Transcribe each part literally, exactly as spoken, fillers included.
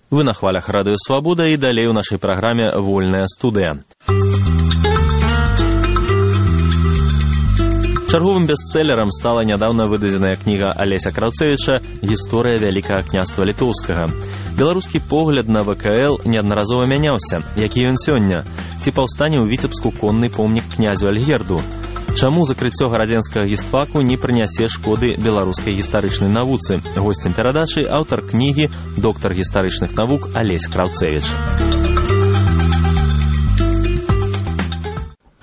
Вы на хвалях Радыё Свабода і далей у нашай праграме «Вольная студыя». Чарговым бестселлерам стала нядаўна выдадзеная кніга Алеся Краўцэвіча «Гісторыя Вялікага княства Літоўскага». Беларускі погляд на вэ ка эл неаднаразова мяняўся. Які ён сёння? Ці паўстане ў Віцебску конны помнік князю Альгерду? Чаму закрыццё гарадзенскага гістфаку не прынясе шкоды беларускай гістарычнай навуцы? Госцем перадачы аўтар кнігі, доктар гістарычных навук Алесь Краўцэвіч.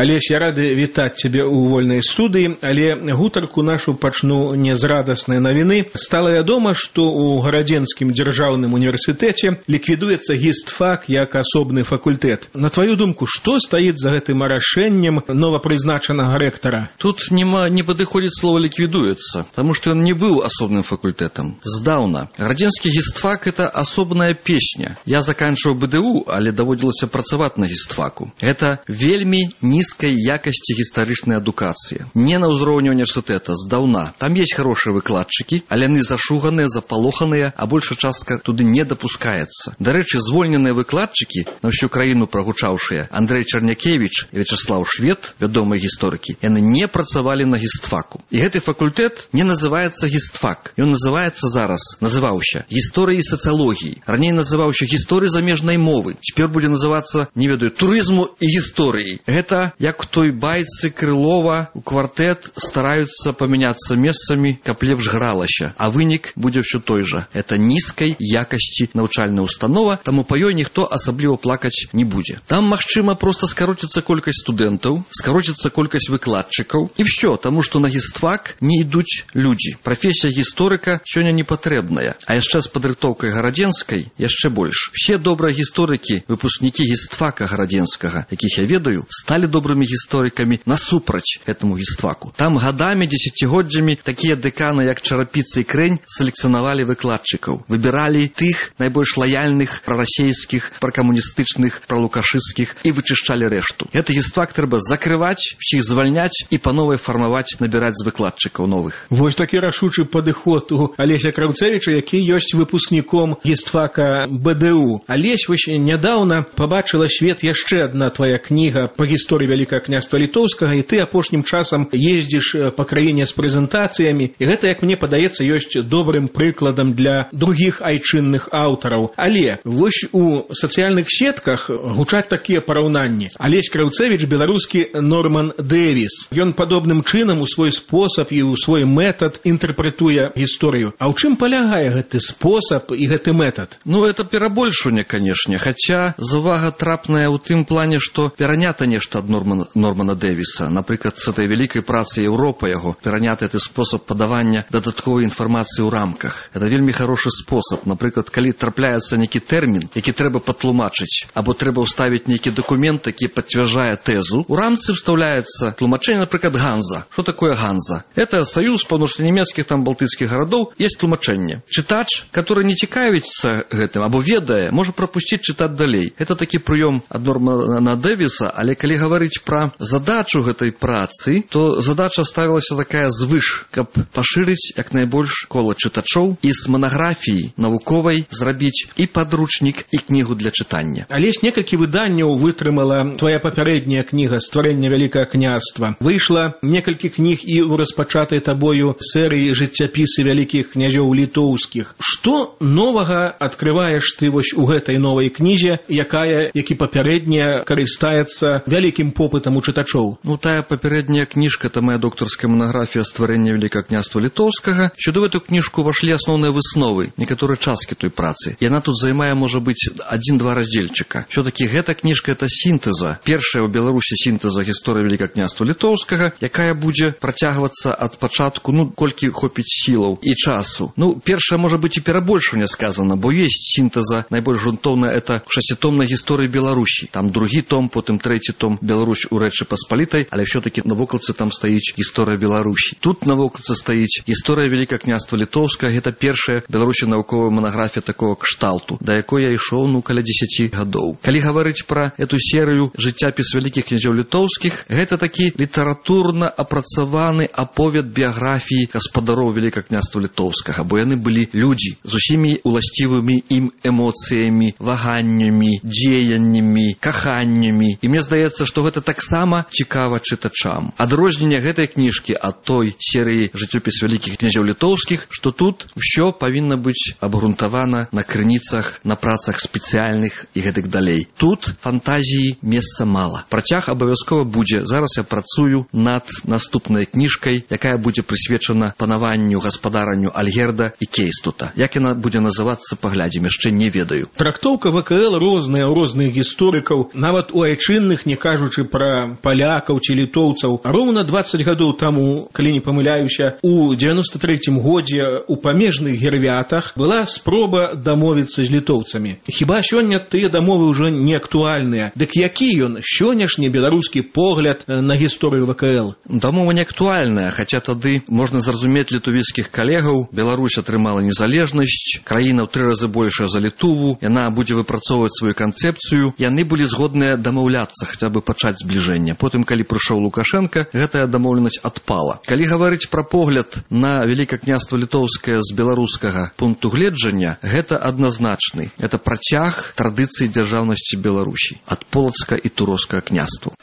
Алесь, я рады вітаць цябе ў вольнай студыі, але гутарку нашу пачну не з радаснай навіны. Стала вядома, што ў Гарадзенскім дзяржаўным універсітэце ліквідуецца гістфак як асобны факультэт. На твою думку, што стаіць за гэтым рашэннем новапрызначанага рэктара? Тут нема, не падыходзіць слова «ліквідуецца», таму што ён не быў асобным факультэтам. Здаўна. Гарадзенскі гістфак – это асобная песня. Я заканчиваў бэ дэ у, але даводзілася працаваць на гістфаку. Это вельмі нізкая якасці гістарычнай адукацыі. Не на ўзроўні універсітэта, здаўна. Там есть хорошыя выкладчыкі, але яны зашуганыя, запалоханыя, а большая частка туды не дапускаецца. Дарэчы, звольненыя выкладчыкі, на ўсю краіну прагучаўшыя, Андрэй Чарнякевіч і Вячаслаў Швед, вядомыя гісторыкі, яны не працавалі на гістфаку. І гэты факультэт не называецца гістфак. Ён называецца зараз, называўся гісторыяй і сацыялогіяй. Раней называўся гісторыяй замежнай мовы. Цяпер будзе называцца, не ведаю, турызму і гісторыяй. Гэта як у той байцы Крылова у квартэт стараюцца памяняцца месцамі, каб лепш гралася, а вынік будзе ўсё той жа. Это нізкай якасці навучальная установа, таму па ёй ніхто асабліва плакаць не будзе. Там, магчыма, проста скароціцца колькасць студэнтаў, скароціцца колькасць выкладчыкаў, і ўсё, таму што на гістфак не ідуць людзі. Прафесія гісторыка сёння не патрэбная, а яшчэ з падрыхтоўкай гарадзенскай яшчэ больш. Все добрыя гісторыкі, выпускнікі гістфака гарадзенскага, якіх я ведаю, сталі добрымі гісторыкамі насупраць гэтаму гістфаку. Там гадамі, дзесяцігоддзямі такія дэканы, як Чарапіца і Крэнь, селекцыянавалі выкладчыкаў. Выбіралі тых найбольш лаяльных, прарасейскіх, пракамуністычных, пралукашысцкіх і вычышчалі рэшту. Гэты гістфак трэба закрываць, усіх звальняць і па новай фармаваць, набіраць з выкладчыкаў новых. Вось такі рашучы падыход у Алеся Краўцэвіча, які ёсць выпускніком гістфака бэ дэ у. Алесь, вось нядаўна пабачыла свет яшчэ адна твая кніга па гісторыі Вялікага княства Літоўскага, і ты апошнім часам ездзіш па краіне з прэзентацыямі, і гэта, як мне падаецца, ёсць добрым прыкладам для другіх айчынных аўтараў. Але вось у сацыяльных сетках гучаць такія параўнанні. Алесь Краўцэвіч – беларускі Норман Дэвіс. Ён падобным чынам у свой спосаб і ў свой метад інтэрпрэтуе гісторыю. А ў чым палягае гэты спосаб і гэты метад? Ну, это перабольшванне, канешне, хаця завага трапная ў тым плане, што перанята нешта ад Нормана, Нормана Дэвіса. Напрыклад, з этой вялікай працы Еўропа яго пераняты гэты спосаб падавання дадатковай інфармацыі ў рамках. Это вельмі хорошы спосаб. Напрыклад, калі трапляецца нейкі тэрмін, які трэба патлумачыць, або трэба ўставіць нейкі дакумент, які пацвярджае тэзу, у рамцы вставляецца тлумачэнне, напрыклад, Ганза. Што такое Ганза? Это саюз паўночнанямецкіх там балтыцкіх гарадоў, есть тлумачэнне. Чытач, который не цікавіцца гэтым або ведае, можа прапусціць чытаць далей. Это такі прыём ад Нормана Дэвіса, але калі гаварыць пра задачу гэтай працы, то задача ставілася такая звыш, каб пашырыць як найбольш кола чытачоў і з манаграфіі навуковай зрабіць і падручнік, і кнігу для чытання. Алесь, некалькі выданняў вытрымала твая папярэдняя кніга «Стварэнне Вялікага княства». Выйшла некалькі кніг і ў распачатай табою серыі «Жыццяпісы вялікіх князёў літоўскіх». Што новага адкрываеш ты вось у гэтай новай кнізе, якая, як і папярэдняя, карыстаецца вялікім попытам у чытачоў? Ну, тая папярэдняя кніжка, это моя докторская монография «Стварэнне Вялікага княства Літоўскага». Сюды в эту кніжку вошли основные высновы, некоторые часткі той працы. И она тут займае, может быть, один-два раздзельчыка. Все-таки эта кніжка – это синтеза. Першая ў Беларусі синтеза гісторыі Вялікага княства Літоўскага, якая будзе працягвацца ад пачатку, ну, колькі хопіць сілаў і часу. Ну, першая, может быть, и перабольшванне сказано, бо есть синтеза, найбольш грунтоўная, это шасцітомная гісторыя Беларусі. Там другі том, потым трэці том Беларусі Беларусь у Рэчы Паспалітай, але ўсё-такі навокалцы там стаіць гісторыя Беларусі. Тут навокалцы стаіць гісторыя Вялікага княства Літоўскага. Гэта першая Беларусі навуковая манаграфія такого кшталту, да якой я ішоў ну каля дзесяці гадоў. Калі гаварыць пра эту серыю жыццяпіс вялікіх князёў літоўскіх, гэта такі літаратурна апрацаваны аповед біяграфіі гаспадароў Вялікага княства Літоўскага, бо яны былі людзі з усімі уласцівымі ім эмоцыямі, ваганнямі, дзеяннямі, каханнямі. І мне здаецца, што гэта таксама цікава чытачам. Адрозненне гэтай кніжкі ад той серыі жыццёпіс вялікіх князёў літоўскіх, што тут усё павінна быць абгрунтавана на крыніцах, на працах спецыяльных і гэтак далей. Тут фантазіі месца мала. Працяг абавязкова будзе. Зараз я працую над наступнай кніжкай, якая будзе прысвечана панаванню, гаспадаранню Альгерда і Кейстута. Як яна будзе называцца, паглядзім, яшчэ не ведаю. Трактоўка ВКЛ розная ў розных гісторыкаў, нават у айчынных, не кажучы пра палякаў ці літоўцаў. Роўна дваццаць гадоў таму, калі не памыляюся, у дзевяноста трэцім годзе у памежных гервятах была спроба дамовіцца з літоўцамі. Хіба сёння тыя дамовы ўжо не актуальныя? Дык які ён сённяшні беларускі погляд на гісторыю ВКЛ? Дамова не актуальная, хаця тады можна зразумець літувіцкіх калегаў. Беларусь атрымала незалежнасць, краіна ў тры разы большая за Літуву, яна будзе выпрацоўваць сваю канцэпцыю. Яны былі згодныя дамаўляцца, хаця бы пачаць збліжэнне. Потым, калі прыйшоў Лукашенко, гэтая дамоўленасць адпала. Калі гаварыць пра погляд на Вялікае княства Літоўскае з беларускага пункту гледжання, гэта адназначны. Это працяг традыцыі дзяржаўнасці Беларусі ад полацка і туровскага княству.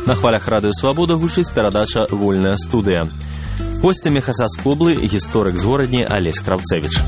На хвалях Радыё Свабода гучыць перадача «Вольная студыя». Госцямі Хасаскоблы гісторык з горадні Алесь Краўцэвіч.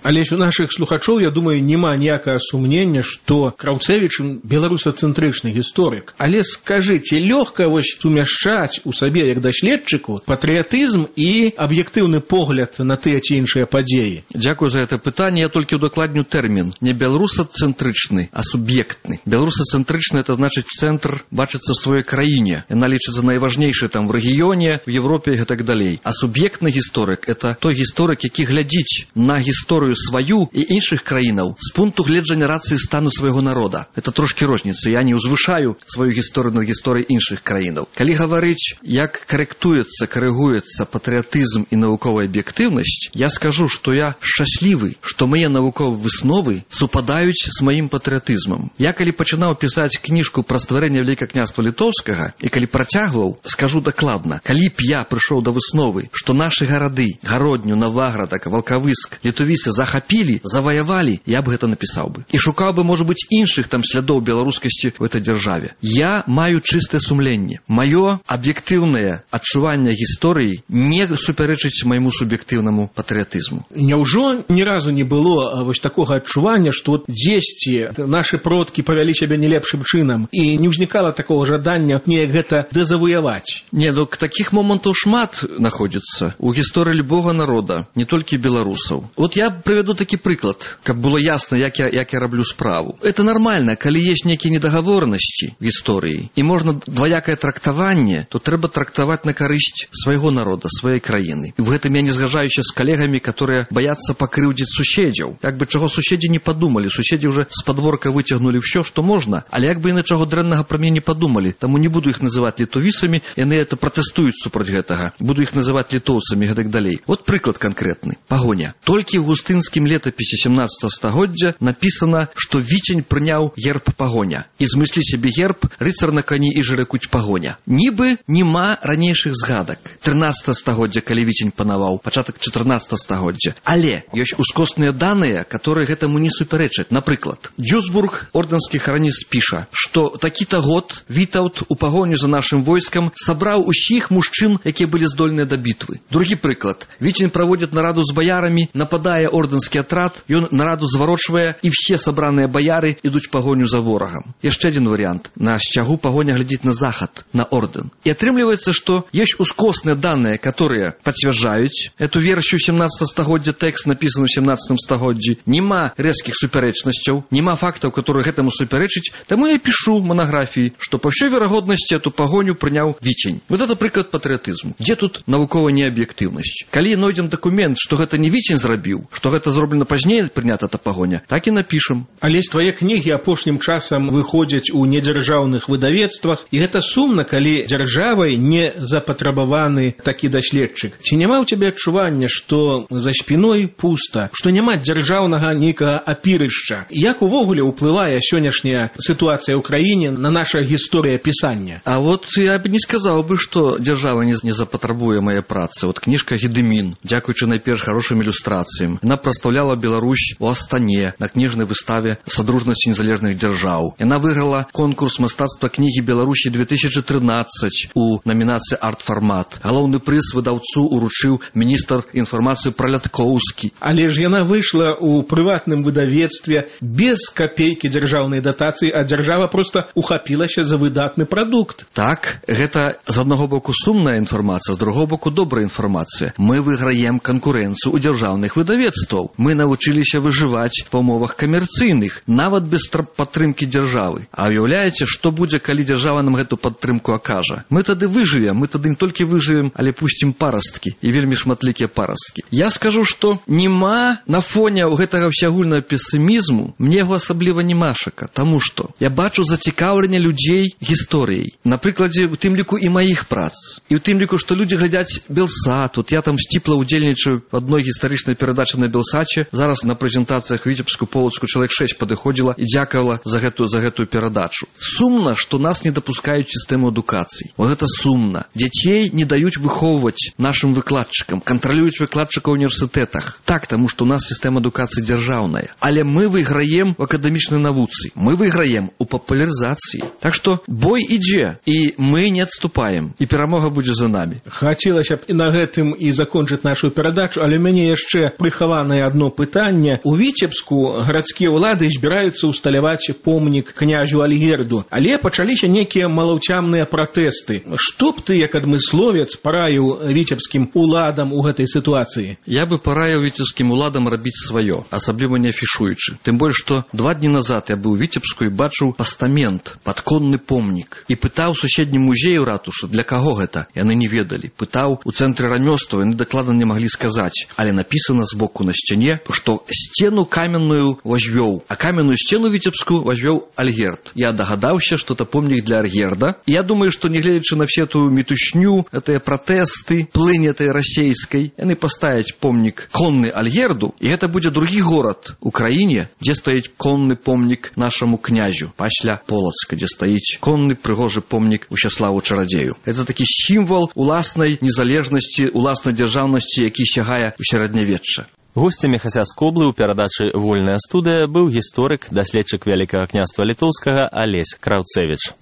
Але у нашых слухачоў, я думаю, няма ніякага сумнення, што Краўцэвіч беларусацэнтрычны гісторык. Але скажыце, лёгка вось сумяшчаць у сабе, як даследчыку, патрыятызм і аб'ектыўны погляд на тыя ці іншыя падзеі? Дзякую за гэта пытанне. Я толькі ўдакладню тэрмін. Не беларусацэнтрычны, а суб'ектны. Беларусацэнтрычны — это значыць цэнтр бачыцца ў сваёй краіне. Яна лічыцца найважнейшай там в рэгіёне, в Европе і так далей. А суб'ектны гісторык — это той гісторык, які глядзіць на гісторыю сваю і іншых краінаў з пункту гледжання рацыі стану свайго народа. Это трошкі розніца. Я не ўзвышаю сваю гісторыю над гісторыяй іншых краінаў. Калі гаварыць, як карэктуецца, карэгуецца патрыятызм і навуковая аб'ектыўнасць, я скажу, што я шчаслівы, што мае навуковыя высновы супадаюць з маім патрыятызмам. Я калі пачынаў пісаць кніжку пра стварэнне Вялікага княства Літоўскага і калі працягваў, скажу дакладна, калі б я прыйшоў да высновы, што нашы гарады, Гародню, Наваградак, Валкавыск, Літувіцы захапілі, заваявалі, я б гэта напісаў бы. І шукаў бы, можа быць, іншых там слядоў беларускасці ў этой дзяржаве. Я маю чыстае сумленне. Маё аб'ектыўнае адчуванне гісторыі не супярэчыць майму суб'ектыўнаму патрыятызму. Няўжо ні разу не было вось такога адчування, што дзесьці нашы продкі павялі сябе не лепшым чынам і не ўзнікала такого жадання неяк гэта дэзавуяваць? Не, ну такіх момантаў шмат знаходзіцца у гісторыі любога народа, не толькі беларусаў. Вот я приведу такі прыклад, каб было ясна, як я, як я раблю справу. Это нормально, калі есть некие недоговоренности в истории, и можно двоякое трактование, то трэба трактовать на карысць свайго народа, сваёй краіны. В гэтым я не згажаюся з калегамі, которые боятся пакрыўдзіць суседзяў. Як бы чаго суседзі не подумали, суседзі уже з подворка выцягнули все, что можно, але як бы яны чаго дрэннага пра мяне не подумали, таму не буду их называть літовісамі, яны это протестуюць супроць гэтага. Буду их называть літоўцамі, гэтак далей. Вот прыклад конкретны. Пагоня. Толькі ў густынскім летапісе семнадцатого стагоддзя написано, что Віцень прыняў герб Пагоня. І змыслі сябе герб рыцар на коні і жырыкуць Пагоня. Нібы нема ранейшых згадак. трынаццатого стагоддзя, калі Віцень панаваў, пачатак чатырнаццатого стагоддзя. Але ёсць ускосныя даныя, которые гэтаму не супярэчаць. Напрыклад, Дюсбург, ордэнскі храніст, піша, што такі-то год Вітаўт у пагоню за нашым войскам сабраў усіх мужчын, якія былі здольныя да бітвы. Другі прыклад. Віцень праводзіць нараду з баярамі, нападае ордэнскі атрад, ён нараду зварочвае, і все сабраныя баяры ідуць пагоню за ворагам. Яшчэ адзін варыянт. На сцягу пагоня глядзіць на захад, на ордэн. І атрымліваецца, што ёсць ускосныя даныя, которые пацвярджаюць эту версію семнадцатого стагоддзя, тэкст напісаны ў семнадцатым стагоддзі. Нема рэзкіх супярэчнасцяў, нема фактаў, которые гэтаму супярэчыць. Таму я пішу монографіі, што па ўсёй верагоднасці эту пагоню прыняў Віцень. Вот это прыклад патрыятызму. Дзе тут навуковая неаб'ектыўнасць? Калі нойдзем дакумент, што гэта не Віцень зрабіў, што гэта гэта зроблена пазней, прынята эта пагоня, так і напішам. Алесь, твае кнігі апошнім часам выходзяць у недзяржаўных выдавецтвах, і гэта сумна, калі дзяржавай не запатрабаваны такі даследчык. Ці няма ў цябе адчування, што за спіной пуста, што няма дзяржаўнага нейкага апірышча? Як увогуле ўплывае сённяшняя сітуацыя ў краіне на наша гісторыя пісання? А вот я б не сказаў бы, што дзяржава не, не запатрабуе мае працы. Вот кніжка «Гедымін», дзякуючы найперш хорошым ілюстрацыям, яна прадстаўляла Беларусь у Астане на кніжнай выставе «Садружнасці незалежных дзяржаў». Яна выйграла конкурс мастацтва кнігі Беларусі две тысячи тринадцать у номінацыі «Арт-фармат». Галоўны прыз выдаўцу уручыў міністр інфармацыі Праляткоўскі. Але ж яна выйшла ў прыватным выдавецтве без капейкі дзяржаўнай датацыі, а дзяржава проста ухапілася за выдатны прадукт. Так, гэта з аднаго боку сумная інфармацыя, з другого боку добрая інфармацыя. Мы выйграем канкурэнцыю ў дзяржаўных выдавецтваў. Мы навучыліся выжываць ва ўмовах камерцыйных, нават без падтрымкі дзяржавы. А уяўляеце, што будзе, калі дзяржава нам гэту падтрымку акажа? Мы тады выжывем, мы тады не толькі выжывем, але пусцім парасткі, і вельмі шматлікія парасткі. Я скажу, што нема на фоне гэтага ўсеагульнага песімізму, мне яго асабліва немашака, таму што я бачу зацікаўленне людзей гісторыяй. На прыкладзе, у тым ліку і маіх прац. І ў тым ліку, што людзі глядяць Белсат. Вот я там сціпла ўдзельнічаю в адной гістарычнай перадачы на Белсаче. Зараз на прэзентацыях Віцебску, Полацку чалавек шэсць падыходзіла і дзякавала за гэтую, за гэтую перадачу. Сумна, што нас не дапускаюць сістэму адукацыі. Вот гэта сумна. Дзяцей не даюць выхоўваць нашым выкладчыкам, кантралююць выкладчыкаў у універсітэтах. Так, таму што у нас сістэма адукацыі дзяржаўная. Але мы выйграем у акадэмічнай навуцы. Мы выйграем у папулярызацыі. Так што бой ідзе, і мы не адступаем, і перамога будзе за намі. Хацелася б і на гэтым і закончыць нашу перадачу, але мяне яшчэ прыхаванае адно пытанне. У Віцебску гарадскія ўлады збіраюцца ўсталяваць помнік князю Альгерду, але пачаліся нейкія малаўцямныя пратэсты. Што б ты, як адмысловец, параіў віцебскім уладам у гэтай сітуацыі? Я бы параіў віцебскім уладам рабіць сваё, асабліва не афішуючы. Тым больш, што два дні назад я быў у Віцебску і бачыў пастамент, падконны помнік, і пытаў суседнім музею ратушы, для каго гэта? Яны не ведалі. Пытаў у цэнтры рамёстваў, яны дакладна не маглі сказаць, але напісана збоку на сцяне, што сцену каменную возвёў, а каменную сцену віцебскую возвёў Альгерд. Я дагадаўся, што это помнік для Альгерда. І я думаю, што не гледзячы на всю эту мітушню, гэтыя пратэсты, плынь этой расейскай, яны паставяць помнік конны Альгерду, і гэта будзе другі горад у краіне, дзе стаіць конны помнік нашаму князю, пасля Полацка, дзе стаіць конны прыгожы помнік Усяславу Чарадзею. Это такі сімвал уласнай незалежнасці, уласнай дзяржаўнасці, які сягае ў сярэднявечча. Госцямі Хасяскоблы ў перадачы «Вольная студыя» быў гісторык, даследчык Вялікага княства Літоўскага Алесь Краўцэвіч.